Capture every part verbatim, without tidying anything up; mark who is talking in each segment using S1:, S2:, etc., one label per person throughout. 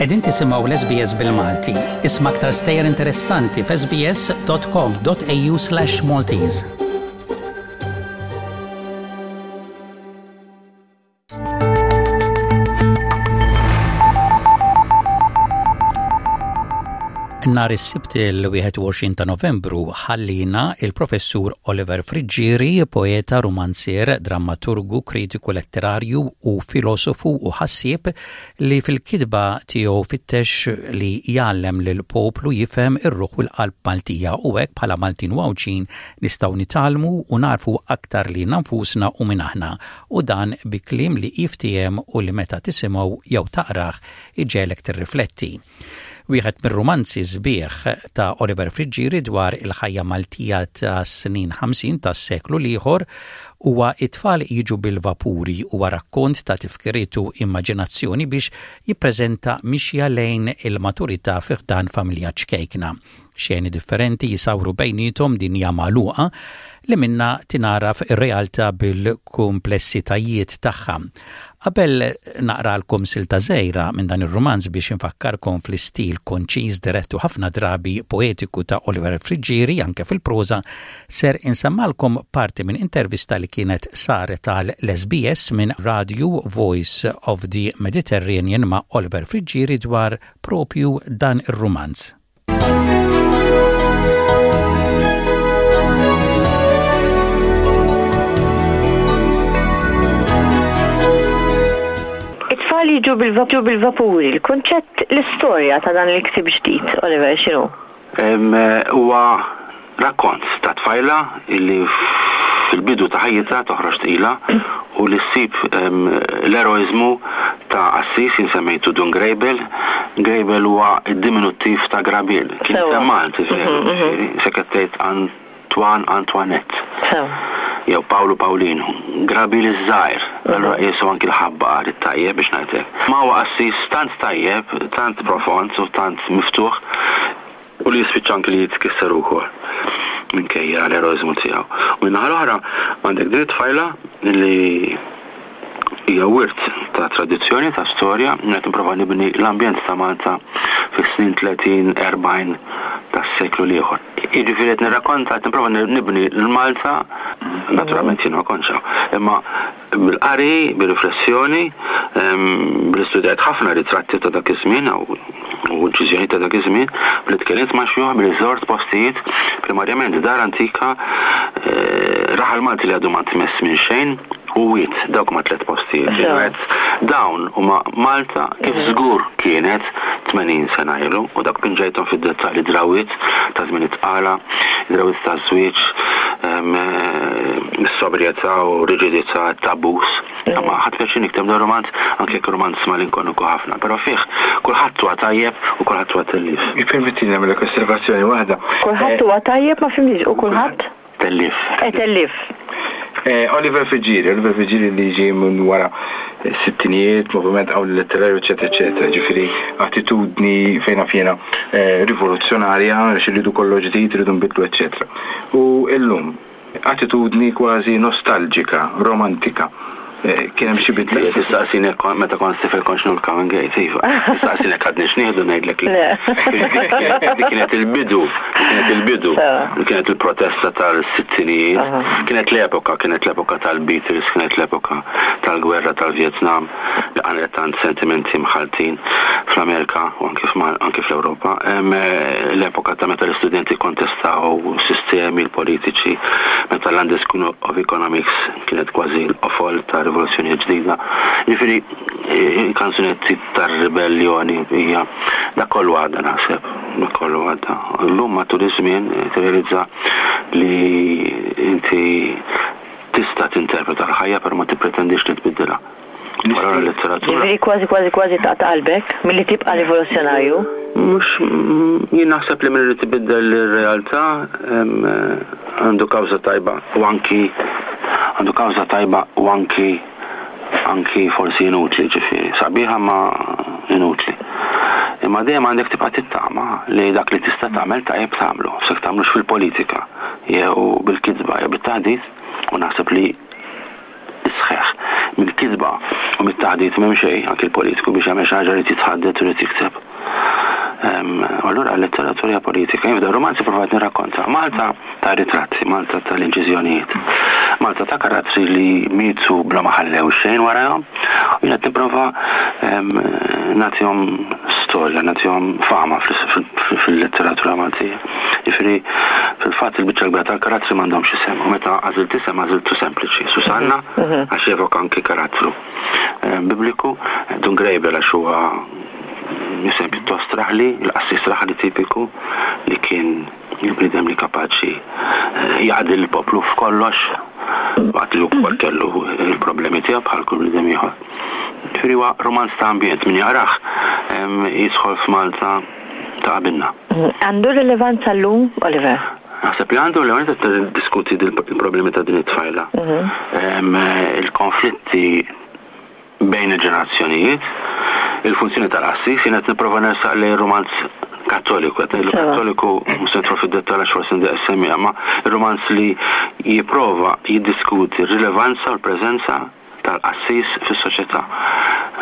S1: Qegħdin tisimgħu l-S B S bil-Malti. Isma' aktar stejjer interessanti f'S B S dot com dot A U slash Maltese. Nhar is-Sibt il-wieħed u għoxrin ta' Novembru ħallina il-Professur Oliver Friggieri, poeta, romanzier, drammaturgu, kritiku letterarju u filosofu u ħassieb li fil-kitba tiegħu fittex li jgħallem lil poplu jifhem ir-ruħ u l-qalb Maltija, u hekk bħala Maltin u Għawdxin nistgħu nitgħallmu u narfu aktar lilna nfusna u min aħna, u dan bi kliem li jiftiehem u li meta tisimgħu jew taqrah iġegħlek tirrifletti. Wieħed mir-romanzi sbieħ ta' Oliver Friggieri dwar il-ħajja Maltija ta' snin ħamsin tas-seklu l-ieħor huwa It-tfal jiġu bil-vapuri. Huwa rakkont ta' tifkiriet u immaġinazzjoni biex jippreżenta mixja lejn il-maturità fi ħdan familja ċkejkna. Xeni differenti jisawru bejnietom dinja magħluqa li minna tingħaraf ir-realtà bil-komplessitajiet tagħha. Qabel naqralkom silta żgħira minn dan ir-romanz biex infakkarkom fl-istil konċiż, direttu, ħafna drabi poetiku ta' Oliver Friggieri anke fil-proża, ser insemmalkom parti minn intervista li kienet saret tal-S B S minn Radio Voice of the Mediterranean ma' Oliver Friggieri dwar propju dan ir-romanz.
S2: It-tfal jiġu bil-vapuri, il-konċett, l-istorja ta' dan il-ktib ġdid, Oliver, x'inhu?
S3: Huwa rakkont ta' tfajla illi fil-bidu ta' ħajjitha toħroġ tqila u li ssib l-eroizmu ta' qassis jien semmejtu Dun Grejbel. Grejbel huwa id-diminuttiv ta' Grabiel. Kien Malti, sekettejt Antoine, Antoinette. Jew Paolo Paolino. Grabiel iż-żgħir. Allura qisu anki l-ħabbar it-tajjeb, biex ngħidlek. Ma huwa qassis tant tajjeb, tant profond u tant miftuħ u li jispiċċa anki li jitkisser ukoll minkejja l-eroizmu tiegħu. U min-naħa l-oħra għandek din it-tfajla li hija wirt ta' tradizzjoni, ta' storja, qed nipprova nibni l-ambjent ta' Malta fis-snin tletin, erbgħin tas-seklu l-ieħor. Jiġifieri qed nirrakkonta, qed nipprova nibni l-Malta, naturalment jien ma kontx, imma bil-qari, bil-riflessjoni, bil-istudjat ħafna ritratti ta' dak iż-żmien u inċiżjoni ta' dak iż-żmien, billi tkellimt ma' xjuħ, billi żort postijiet, primarjament dar antika, eh, raħal Malti li għadu ma tmess minn xejn, u wied, dawk ma tliet postijiet. Dawn huma Malta kif żgur kienet tmenin sena ilu, u dak pinġejthom fid-dettalji, drawiet ta' żmien it-tqala, drawiet ta' żwieġ, is-sobrjetà u riġidità, tabus. Ma ħadt pjaċir nikteb dan romanz, anke jekk romanz malinkoniku ħafna, però fih kulħadd huwa tajjeb u kulħadd huwa tellief.
S4: Ippermettili nagħmel osservazzjoni waħda.
S2: Kulħadd huwa tajjeb, ma fhimtx, u kulħadd?
S3: Tellief.
S2: Eh, tellief.
S4: Eh, Oliver Friggieri, Oliver Friggieri li ġie minn wara sittinijiet, moviment qawwi letterarju, eccetera, eccetera, ġifieri attitudni fejna fjena eh, rivoluzzjonarja, għax irridu kollox ġdid, irridu nbidlu, eccetera. U illum, attitudni kważi nostalġika, romantika. Eh, Kien hemm xi bidla.
S3: Tistaqsini meta kont tifel kontx nieħu l-coming eight, iva. Tistaqsini għadni x'nieħdu, ngħidlek li. Dik kienet il-bidu, kienet il-bidu, kienet il-protesta tal-sittinijiet, kienet l-epoka, kienet l-epoka tal-Beatles, kienet l-epoka tal-gwerra tal-Vietnam, li għamlet tant sentimenti mħaltin fl-Amerika u anki fl-Europa. L-epoka ta' meta l-istudenti kontestaw sistemi l-politiċi, meta l-London School of Economics kienet kważi l-qofol ta' rivoluzzjoni ġdida. Ġifieri, kanzunetti tar-ribellioni hija dak kollu għadda naħseb, dak kollu għadda. Illum matul iż-żmien tirrealizza li inti tista' tinterpreta l-ħajja, però ma tippretendix li tbiddilha. Wara l-letteratura.
S2: Ġifieri kważi kważi kważi ta' qalbek milli tibqa' rivoluzzjonarju.
S3: Mhux, jien naħseb li min irid ibiddel ir-realtà għandu kawża tajba u anki għandu kawża tajba u anki anki forsi inutli, ġifieri sabiħa ma inutli. Imma dejjem għandek tibqa' tittama li dak li tista' tagħmel tajjeb tagħmlu, jekk tagħmlux fil-politika jew bil-kitba jew bit-taħdit, u naħseb li sħeħ Mill-kitba u mit-taħdit m'hemm xejn, anke l-politiku biex jagħmel xi ħaġa jrid jitħaddet u jrid jikteb. Allura l-letteratura politika, jien f'dan romanzi provajt nirrakkonta Malta ta' ritratti, Malta tal-inċiżjonijiet, Malta ta' karattri li mietu bla ma ħallew xejn warahom, u jien qed nipprova nagħtihom storja, nagħtihom fama fil-letteratura Maltija. Jiġifieri fil-fatt il-biċċa kbira tal-karattri m'għandhomx isem, u meta għażilt isem għażiltu sempliċi, Susanna, għax jevoka anki karattru bibliku, Dun Grejbel għax huwa isem pjuttost raħli, il-qassis raħli tipiku li kien il-bniedem li kapaċi jaqdi l-poplu f'kollox, waqt li wkoll kellu il-problemi tiegħu bħal kull bniedem ieħor. Ġifieri huwa romanz ta' ambjent, min jaqrah jidħol f'Malta ta' qabilna.
S2: Għandu rilevanza llum, Oliver?
S3: Naħseb li għandu l-ewwel qed diskuti il-problemi ta' din it-tfajla. Il-konflitti bejn il-ġenerazzjonijiet, il-funzjoni tal-qassis, jien qed nipprova nersaq lejn romanz kattoliku, qed ngħidlu kattoliku mhux se nidħol fid-dettall għax forsi ndieq semmiha, ma romanz li jipprova jiddiskuti r-rilevanza u l-preżenza tal-qassis fis-soċjetà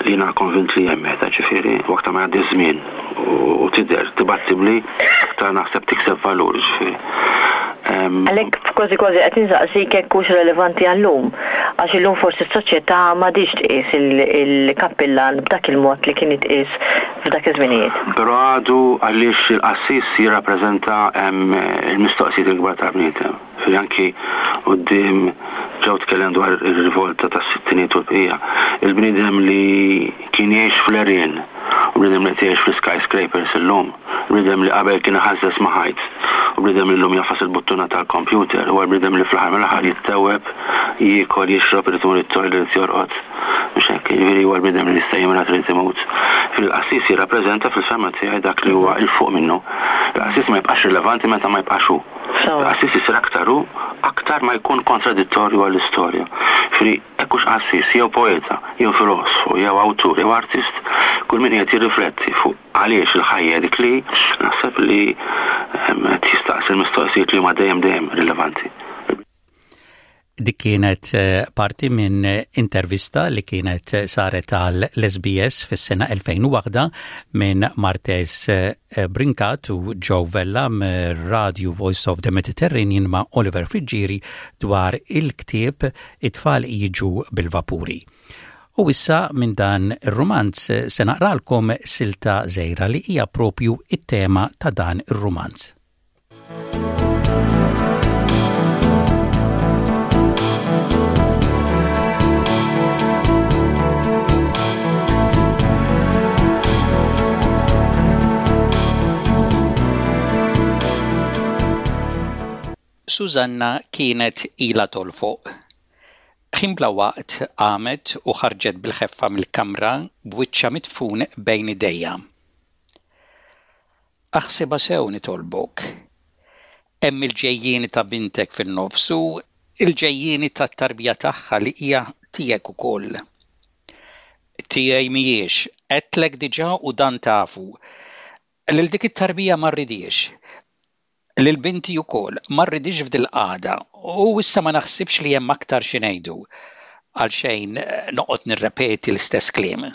S3: li jiena konvint li hemm meta, ġifieri, u aktar ma jgħaddi żmien u tidher dibattibbli, aktar naħseb tikseb valur, ġifieri.
S2: Għalhekk kważi kważi qed insaqsik jekk hux relevanti għallum, għax illum forsi s-soċjetà m'għadix tqis il-kappillan b'dak il-mod li kien jitqies f'dak iż-żminijiet.
S3: Però għadu għaliex il-qassis jirrappreżenta il-mistoqsijiet il-kbar tal-bniedem. Ġifieri anki quddiem ġew tkellem dwar ir-rivolta tas-sittiniet u l-bqija. Il-bniedem li kien jgħix fl-għerien, u bniedem li qed jgħix fl-skyscrapers illum, bniedem li qabel kien iħażżeż ma' ħajt, u bniedem li llum jagħfas il-buttuna tal-computer, huwa l-bniedem li fl-aħħar mill-aħħar jittewweb, jiekol, jixrob, irid imur it-toilet, jorqod. Mhux hekk, jiġifieri huwa l-bniedem li jista' jimrad, irid imut. Fil-qassis jirrappreżenta fil-fehma tiegħi dak li huwa 'l fuq minnu. Il-qassis ma jibqax rilevanti meta ma jibqax hu. Il-qassis isir aktar hu, aktar ma jkun kontradittorju għall-istorja. Ġifieri hekk hux qassis, jew poeta, jew filosfu, jew awtur, jew artist, kull min qiegħed jirrifletti fuq għaliex il-ħajja dik li naħseb li qed jistaqsi l-mistoqsijiet li huma dejjem dejjem rilevanti.
S1: Dik kienet parti minn intervista li kienet saret għal l-S B S fis-sena elfejn u waħda minn Martes Brincat u Joe Vella mir-Radio Voice of the Mediterranean ma' Oliver Friggieri dwar il-ktieb It-tfal jiġu bil-vapuri. U issa minn dan ir-romanz se naqralkom silta żgħira li hija propju it-tema ta' dan ir-romanz. Susanna kienet ila tolfoq. Ħin bla waqt qamet u ħarġet bil-ħeffa mill-kamra b'wiċċha midfun bejn idejha. Aħsibha sew nitolbok. Hemm il-ġejjieni ta' bintek fin-nofs u il-ġejjieni tat-tarbija tagħha li hija tiegħek ukoll. Tiegħi mhijiex, għedtlek diġà u dan tafu. Lil dik it-tarbija ma rridhiex. Lil binti wkoll ma rridhiex f'dil-qagħda u issa ma naħsibx li hemm aktar xi ngħidu. Għalxejn noqgħod nirrepeti l-istess kliem.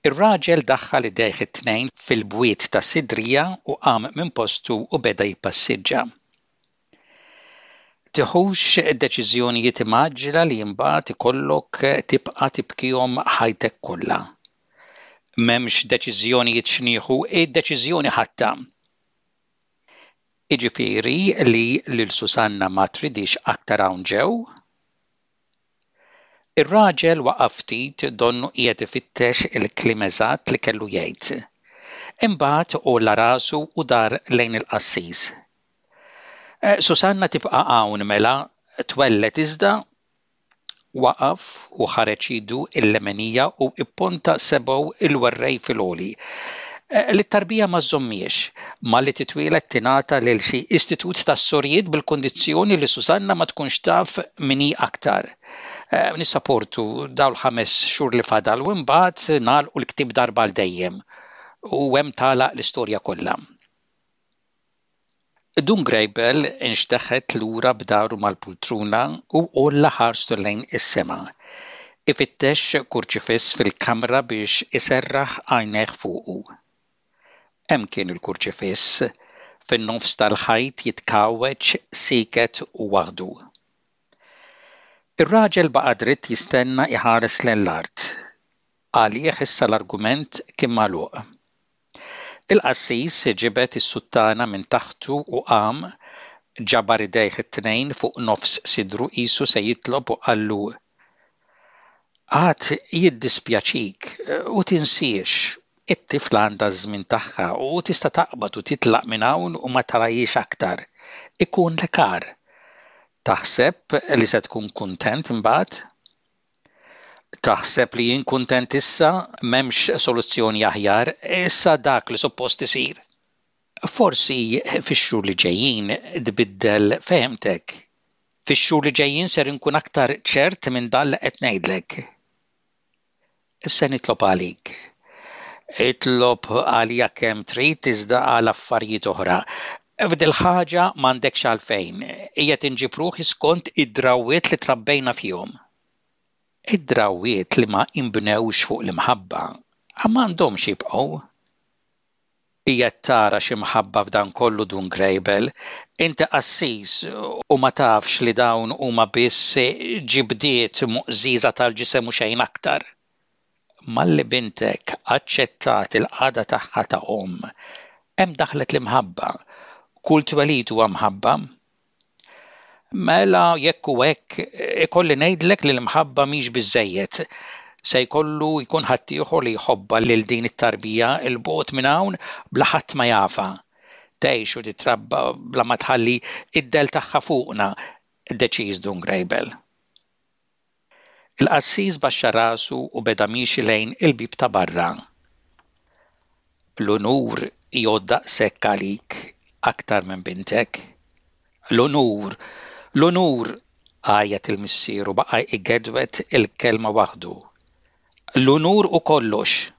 S1: Ir-raġel daħħal idejh it-tnejn fil-bwiet ta' sidrija u qam minn postu u beda jippassiġġa. Tiħux deċiżjonijiet mgħaġġla li mbagħad ikollok tibqa' tibkihom ħajtek kollha. M'hemmx deċiżjonijiet x'nieħu, id-deċiżjoni ħadtha. Iġifieri li lil Susanna ma tridhiex aktar hawn ġew? Ir-raġel waqaf ftit donnu qiegħed ifittex il-kliem eżatt li kellu jgħid. Imbagħad għolla rasu u dar lejn il-qassis. Susanna tibqa' hawn mela twelled iżda waqaf u ħareġ idu il-lemenija u ipponta sebgħu il-werrej fil-għoli. Lit-tarbija ma żżommhiex, malli titwieled tingħata lil xi istitut tas-sorijiet bil-kondizzjoni li Susanna ma tkunx taf min hi aktar. Nissaportu dawn ħames xhur li fadal u mbagħad nagħlqu l-ktieb darba għal dejjem. U hemm tagħlaq l-istorja kollha. Dun Grejbel inxteħet lura b'dahru mal-pultruna u għolla ħarstu lejn is-sema. Ifittex kurċifiss fil-kamra biex iserraħ għajnejh fuqu. Hemm kien il-kurċifiss, fin-nofs tal-ħajt jitkawweġ sieket u waħdu. Ir-raġel baqa' dritt jistenna iħares lejn l-art. Għalih issa l-argument kien magħluq. Il-qassis ġibed is-suttana minn taħtu u qam, ġabar idejh it-tnejn fuq nofs sidru qisu se jitlob u qallu: Għad jiddispjaċik u tinsiex, it-tifla għandha ż-żmien tagħha u tista' taqbad u titlaq minn hawn u ma tarahiex aktar. Ikunlek agħar. Taħseb li se tkun kuntent imbagħad? Taħseb li jien kuntent issa? M'hemmx soluzzjoni aħjar, issa dak li suppost isir. Forsi fix-xhur li ġejjin tbiddel fehmtek. Fix-xhur li ġejjin ser inkun aktar ċert minn dan li qed ngħidlek. Se nitlob għalik. Itlob għalija kemm trid iżda għal affarijiet oħra. F'dil-ħaġa m'għandekx għalfejn, qiegħed inġib ruħi skont id-drawwiet li trabbejna fihom. Id-drawwiet li ma inbnewx fuq l-imħabba m'għandhomx jibqgħu. Qiegħed tara xi mħabba f'dan kollu Dun Grejbel, inti qassis u ma tafx li dawn huma biss ġibdiet muqżiża tal-ġisem u xejn aktar. Malli bintek aċċettat il-qagħda tagħha ta' omm, hemm daħlet l-imħabba. Kull twelid huwa mħabba. Mela jekk hu hekk, ikolli ngħidlek li l-imħabba mhix biżżejjed. Se jkollu jkun ħaddieħor li jħobbha lil din it-tarbija 'l bogħod minn hawn bla ħadd ma jafha. Tgħix u titrabba bla ma tħalli id-dell tagħha fuqna, deċiż Dun Grejbel. Il-qassis baxxa rasu u beda miexi lejn il-bieb ta' barra. L-unur jgħodd daqshekk għalik aktar minn bintek. L-unur, l-unur, għajjat il-missier u baqa' jgedwed il-kelma waħdu. L-unur u kollox.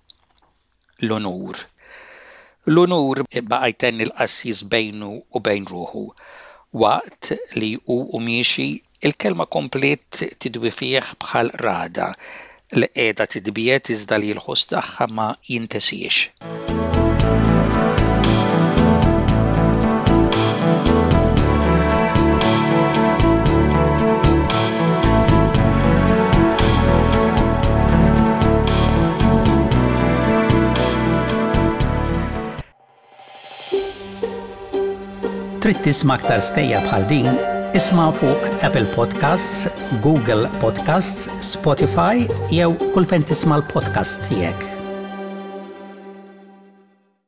S1: L-unur. L-unur, baqa' jtenni l-qassis bejnu u bejn ruħu. Waqt li hu u miexi, il-kelma kompliet tidwi fih bħal ragħda li qiegħda titbiegħed iżda li l-ħoss tagħha ma jintesiex. Trid tisma' aktar stejjer bħal din? Isma' fuq Apple Podcasts, Google Podcasts, Spotify jew kull fejn tisma' l-podcasts tiegħek.